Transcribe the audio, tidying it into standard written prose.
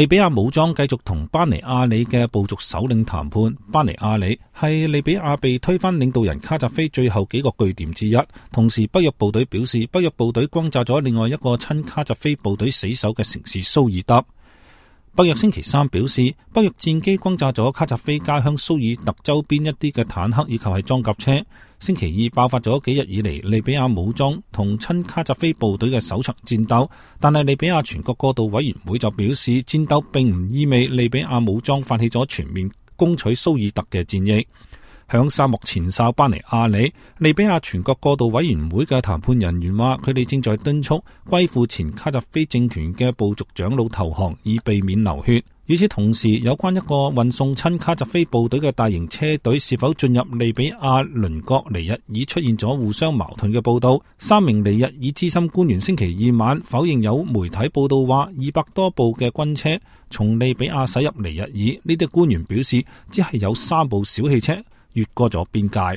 利比亞武裝繼續同巴尼亞里嘅部族首領談判。巴尼亞里係利比亞被推翻領導人卡扎菲最後幾個據點之一。同時，北約部隊表示，北約部隊轟炸咗另外一個親卡扎菲部隊死守嘅城市蘇爾德。北約星期三表示，北約戰機轟炸咗卡扎菲家鄉蘇爾特周邊一啲嘅坦克以及係裝甲車。星期二爆發咗幾日以嚟利比亞武裝同親卡扎菲部隊嘅首場戰鬥，但係利比亞全國過渡委員會就表示，戰鬥並唔意味利比亞武裝發起咗全面攻取蘇爾特嘅戰役。響沙漠前哨巴尼亞里，利比亞全國過渡委員會嘅談判人員話，佢哋正在敦促歸附前卡扎菲政權嘅部族長老投降，以避免流血。與此同時，有關一個運送親卡扎菲部隊嘅大型車隊是否進入利比亞鄰國尼日爾出現咗互相矛盾嘅報道。3名尼日爾資深官員星期二晚否認有媒體報道話200多部嘅軍車從利比亞駛入尼日爾。呢啲官員表示，只係有3部小汽車越過咗邊界。